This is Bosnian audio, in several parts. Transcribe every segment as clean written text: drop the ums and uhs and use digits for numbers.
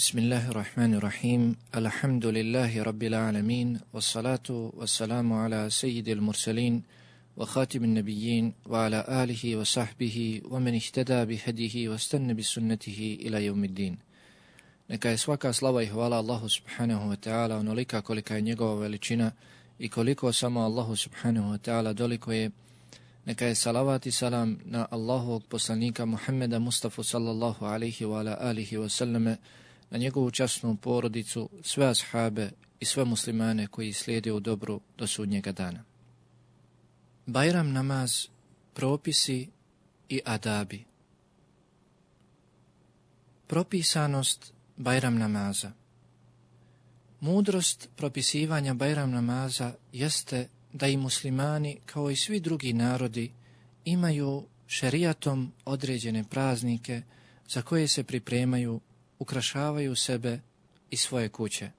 Bismillahirrahmanirrahim. Alhamdulillahi rabbil alamin. Wassalatu wassalamu ala sayyidil mursalin wa khatimin nabiyyin wa ala alihi wa sahbihi wa man ihtada bihadihi wa istanna bisunnatihi ila yawmiddin. Neka je svaka slava i hvala Allahu subhanahu wa ta'ala onolika kolika je njegova veličina i koliko samo Allahu subhanahu wa ta'ala doliko je. Neka je salavat i salam na Allahovog poslanika Muhammeda Mustafa sallallahu alaihi wa ala alihi wa sallame, na njegovu časnu porodicu, sve ashabe i sve muslimane koji slijede u dobru do sudnjega dana. Bajram namaz, propisi i adabi. Propisanost Bajram namaza. Mudrost propisivanja Bajram namaza jeste da i muslimani, kao i svi drugi narodi, imaju šerijatom određene praznike za koje se pripremaju, ukrašavaju sebe i svoje kuće.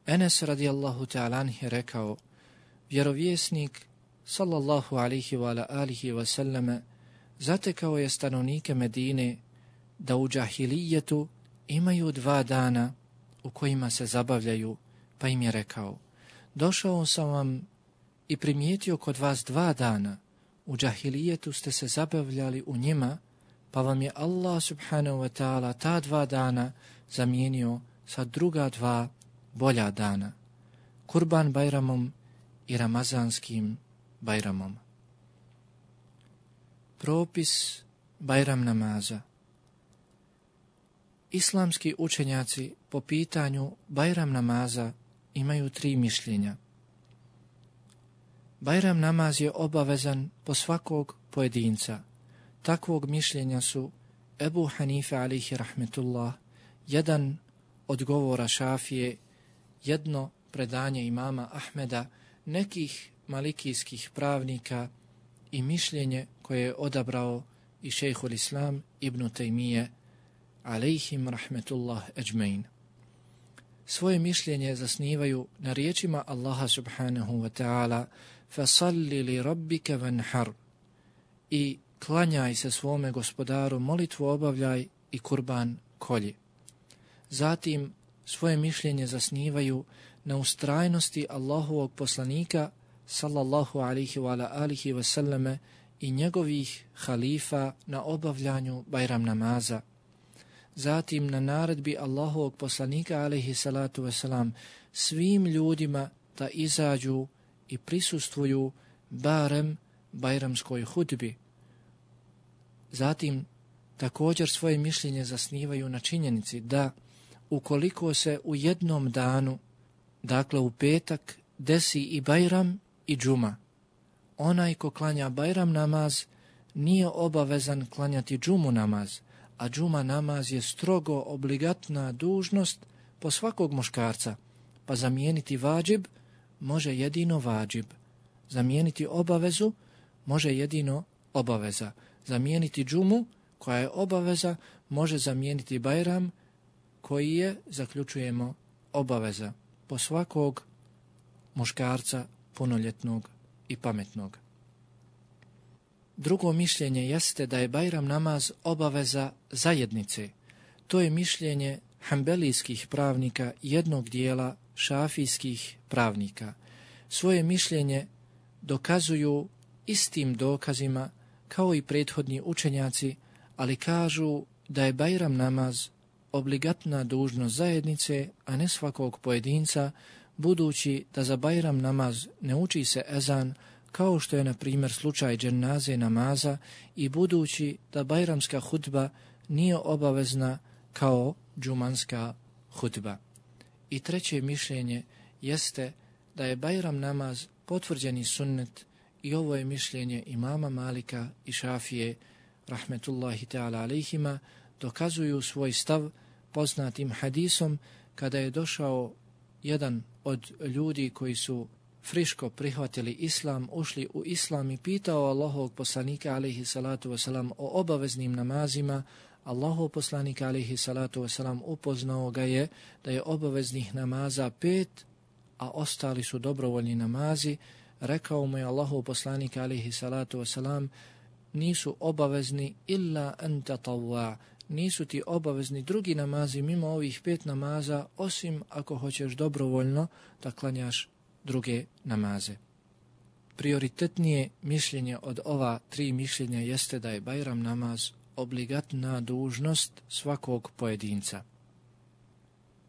Enes radijallahu ta'ala anhu je rekao, vjerovjesnik sallallahu alihi wa alihi wa sallame zatekao je stanovnike Medine da u džahilijetu imaju 2 dana u kojima se zabavljaju, pa im je rekao, došao sam vam i primijetio kod vas 2 dana, u džahilijetu ste se zabavljali u njima, pa vam je Allah subhanahu wa ta'ala ta 2 dana zamijenio sa druga 2 bolja dana, Kurban Bajramom i Ramazanskim Bajramom. Propis Bajram namaza. Islamski učenjaci po pitanju Bajram namaza imaju 3 mišljenja. Bajram namaz je obavezan po svakog pojedinca. Takvog mišljenja su Ebu Hanife alihi rahmetullah, jedan od govora Šafije, jedno predanje imama Ahmeda, nekih malikijskih pravnika i mišljenje koje je odabrao i šejhul Islam ibn Tejmije alejhim rahmetullah ejmein. Svoje mišljenje zasnivaju na riječima Allaha subhanahu wa ta'ala fasalli li rabbika vanhar, i klanjaj se svome gospodaru, molitvu obavljaj i kurban kolji. Zatim svoje mišljenje zasnivaju na ustrajnosti Allahovog poslanika sallallahu alihi wa alihi wa sallame i njegovih halifa na obavljanju Bajram namaza. Zatim na naredbi Allahovog poslanika alihi salatu wasalam svim ljudima da izađu i prisustvuju barem bajramskoj hudbi. Zatim također svoje mišljenje zasnivaju na činjenici da ukoliko se u jednom danu, dakle u petak, desi i Bajram i džuma, onaj ko klanja Bajram namaz nije obavezan klanjati džumu namaz, a džuma namaz je strogo obligatna dužnost po svakog muškarca, pa zamijeniti vađib može jedino vađib, zamijeniti obavezu može jedino obaveza, zamijeniti džumu koja je obaveza može zamijeniti Bajram koji je, zaključujemo, obaveza po svakog muškarca punoljetnog i pametnog. Drugo mišljenje jeste da je Bajram namaz obaveza zajednice. To je mišljenje hambelijskih pravnika jednog dijela šafijskih pravnika. Svoje mišljenje dokazuju istim dokazima kao i prethodni učenjaci, ali kažu da je Bajram namaz obligatna dužnost zajednice, a ne svakog pojedinca, budući da za Bajram namaz ne uči se ezan, kao što je na primjer slučaj dženaze namaza, i budući da bajramska hudba nije obavezna kao džumanska hudba. I treće mišljenje jeste da je Bajram namaz potvrđeni sunnet, i ovo je mišljenje imama Malika i Šafije rahmetullahi ta'ala alejhima, dokazuju svoj stav poznatim hadisom kada je došao jedan od ljudi koji su friško prihvatili islam, ušli u islam i pitao Allahovog poslanika alejhi salatu wasalam o obaveznim namazima. Allahov poslanik alejhi salatu wasalam upoznao ga je da je obaveznih namaza 5, a ostali su dobrovoljni namazi. Rekao mu je Allahov poslanik alejhi salatu wasalam, nisu obavezni illa an tatawwa, nisu ti obavezni drugi namazi mimo ovih 5 namaza, osim ako hoćeš dobrovoljno da klanjaš druge namaze. Prioritetnije mišljenje od ova 3 mišljenja jeste da je Bajram namaz obligatna dužnost svakog pojedinca.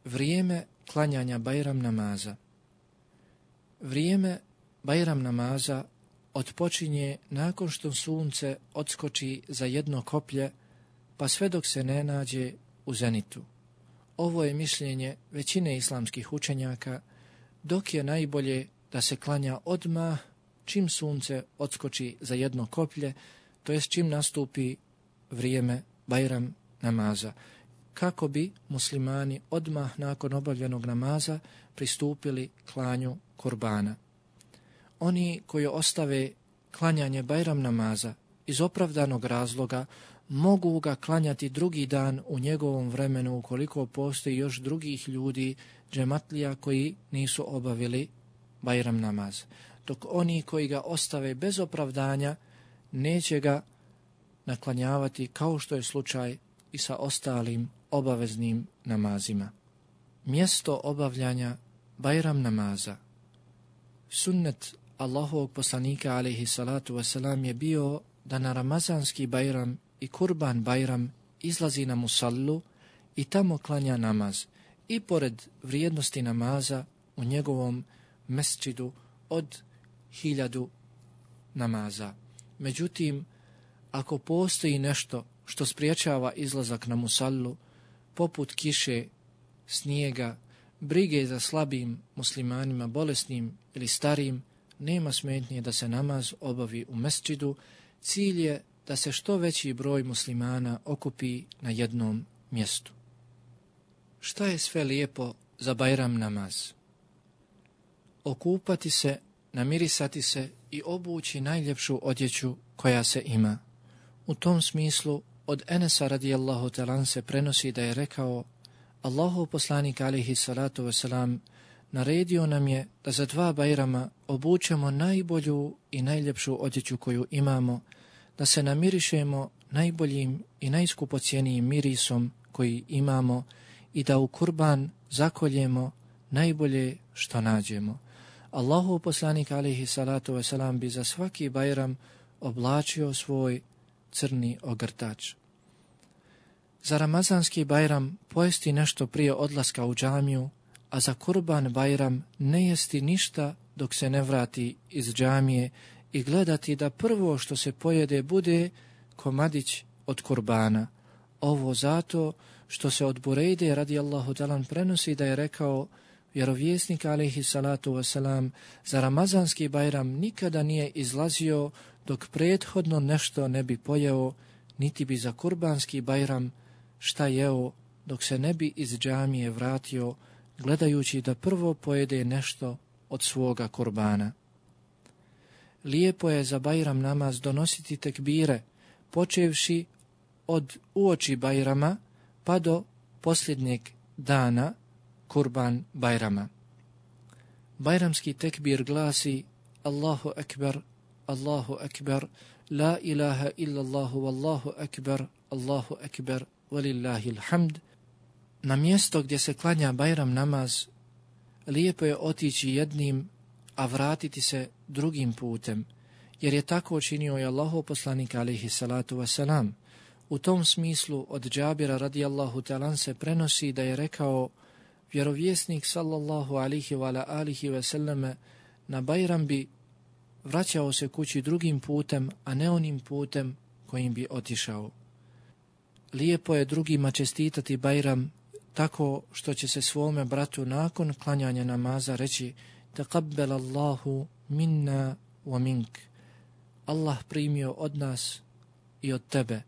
Vrijeme klanjanja Bajram namaza. Vrijeme Bajram namaza otpočinje nakon što sunce odskoči za jedno koplje, pa sve dok se ne nađe u zenitu. Ovo je mišljenje većine islamskih učenjaka, dok je najbolje da se klanja odmah čim sunce odskoči za jedno koplje, to jest čim nastupi vrijeme Bajram namaza, kako bi muslimani odmah nakon obavljenog namaza pristupili klanju kurbana. Oni koji ostave klanjanje Bajram namaza iz opravdanog razloga mogu ga klanjati drugi dan u njegovom vremenu ukoliko postoji još drugih ljudi, džematlija, koji nisu obavili Bajram namaz. Dok oni koji ga ostave bez opravdanja neće ga naklanjavati kao što je slučaj i sa ostalim obaveznim namazima. Mjesto obavljanja Bajram namaza. Sunnet Allahovog poslanika alejhi salatu vesselam je bio da na ramazanski Bajram i Kurban Bajram izlazi na musallu i tamo klanja namaz, i pored vrijednosti namaza u njegovom mesdžidu od 1000 namaza. Međutim, ako postoji nešto što spriječava izlazak na musallu, poput kiše, snijega, brige za slabim muslimanima, bolesnim ili starim, nema smetnje da se namaz obavi u mesdžidu. Cilj je da se što veći broj muslimana okupi na jednom mjestu. Šta je sve lijepo za Bajram namaz? Okupati se, namirisati se i obući najljepšu odjeću koja se ima. U tom smislu od Enesa radijallahu talan se prenosi da je rekao: Allahov poslanik alejhi salatu vesselam naredio nam je da za 2 Bajrama obučemo najbolju i najljepšu odjeću koju imamo, da se namirišemo najboljim i najskupocijenijim mirisom koji imamo i da u kurban zakoljemo najbolje što nađemo. Allahov poslanik alejhi salatu vesselam bi za svaki Bajram oblačio svoj crni ogrtač. Za ramazanski Bajram pojesti nešto prije odlaska u džamiju, a za Kurban Bajram ne jesti ništa dok se ne vrati iz džamije i gledati da prvo što se pojede bude komadić od kurbana. Ovo zato što se od Burejde radijallahu talan prenosi da je rekao vjerovjesnik alejhi salatu wasalam: za ramazanski Bajram nikada nije izlazio dok prethodno nešto ne bi pojeo, niti bi za kurbanski Bajram šta jeo dok se ne bi iz džamije vratio, gledajući da prvo pojede nešto od svoga kurbana. Lijepo je za Bajram namaz donositi tekbire, počevši od uoči Bajrama pa do posljednjeg dana Kurban Bajrama. Bajramski tekbir glasi: Allahu ekber, Allahu ekber, la ilaha illallahu, wallahu ekber, Allahu ekber, walillahil hamd. Na mjesto gdje se klanja Bajram namaz lijepo je otići jednim, a vratiti se drugim putem, jer je tako činio i Allahov poslanik alejhi salatu vesselam. U tom smislu od Džabira radijallahu talan se prenosi da je rekao: vjerovjesnik sallallahu alihi wa alihi veselleme na Bajram bi vraćao se kući drugim putem, a ne onim putem kojim bi otišao. Lijepo je drugima čestitati Bajram tako što će se svome bratu nakon klanjanja namaza reći: taqabbal Allahu minna wa mink. Allah primio od nas i od tebe.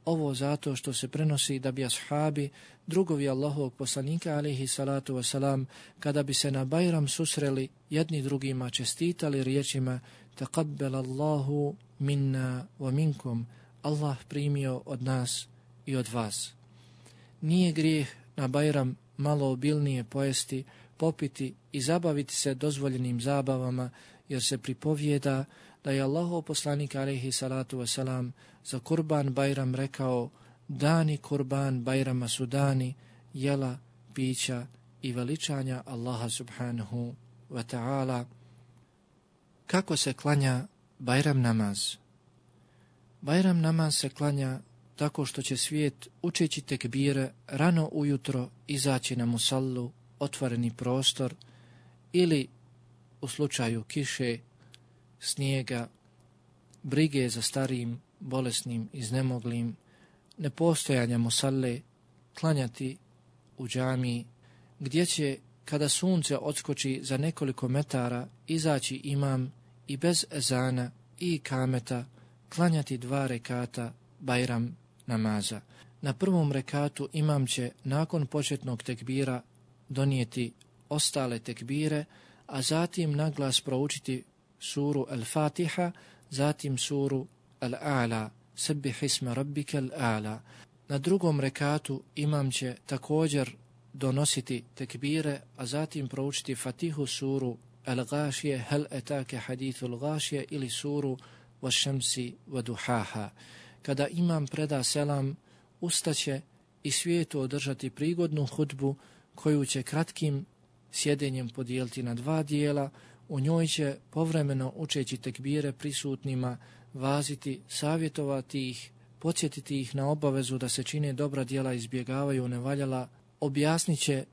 Ovo zato što se prenosi da bi ashabi, drugovi Allahovog poslanika alejhi salatu wasalam, kada bi se na Bajram susreli, jedni drugima čestitali riječima: taqabbal Allahu minna wa minkum. Allah primio od nas i od vas. Nije grijeh na Bajram malo obilnije pojesti, popiti i zabaviti se dozvoljenim zabavama, jer se pripovijeda da je Allahov poslanik alejhi salatu wasalam za Kurban Bajram rekao: dani kurban Bajrama su dani jela, pića i veličanja Allaha subhanahu wa ta'ala. Kako se klanja Bajram namaz? Bajram namaz se klanja tako što će svijet učeći tekbire rano ujutro izaći na musallu, otvoreni prostor, ili u slučaju kiše, snijega, brige za starijim, bolesnim, iznemoglim, nepostojanja musalle, klanjati u džamiji, gdje će, kada sunce odskoči za nekoliko metara, izaći imam i bez ezana i ikameta, klanjati 2 rekata Bajram namaza. Na prvom rekatu imam će nakon početnog tekbira donijeti ostale tekbire, a zatim naglas proučiti suru Al-Fatiha, zatim suru Al-A'la, Sebbih isma rabbika Al-A'la. Na drugom rekatu imam će također donositi tekbire, a zatim proučiti Fatihu, suru Al-Gashije, Hel etake hadithul Gashije ili suru Wašemsi Waduhaha. Kada imam preda selam, ustaće i svijetu održati prigodnu hudbu koju će kratkim sjedenjem podijeliti na 2 dijela. U njoj će povremeno učeći tekbire prisutnima vaziti, savjetovati ih, podsjetiti ih na obavezu da se čine dobra djela, izbjegavaju nevaljala, objasnit će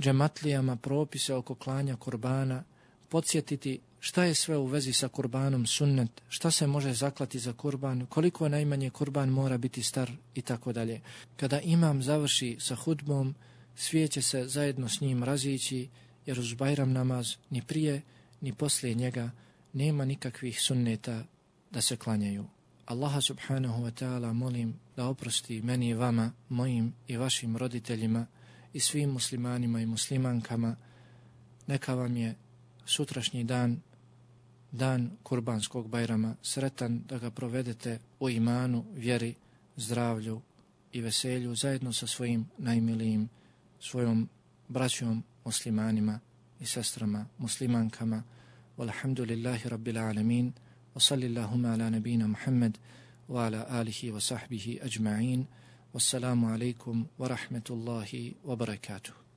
džematlijama propise oko klanja kurbana, podsjetiti šta je sve u vezi sa kurbanom sunnet, šta se može zaklati za kurban, koliko najmanje kurban mora biti star i tako dalje. Kada imam završi sa hudbom, svijet će se zajedno s njim razići, jer uz Bajram namaz ni prije ni poslije njega nema nikakvih sunneta da se klanjaju. Allaha subhanahu wa ta'ala molim da oprosti meni i vama, mojim i vašim roditeljima i svim muslimanima i muslimankama. Neka vam je sutrašnji dan, dan kurbanskog Bajrama, sretan da ga provedete u imanu, vjeri, zdravlju i veselju zajedno sa svojim najmilijim, svojom braćom muslimanima i sestrama muslimankama. Walhamdulillahi rabbil alamin. Wa sallillahuma ala nabina Muhammad wa ala alihi wa sahbihi ajma'in. Wassalamu alaikum wa rahmetullahi wa barakatuh.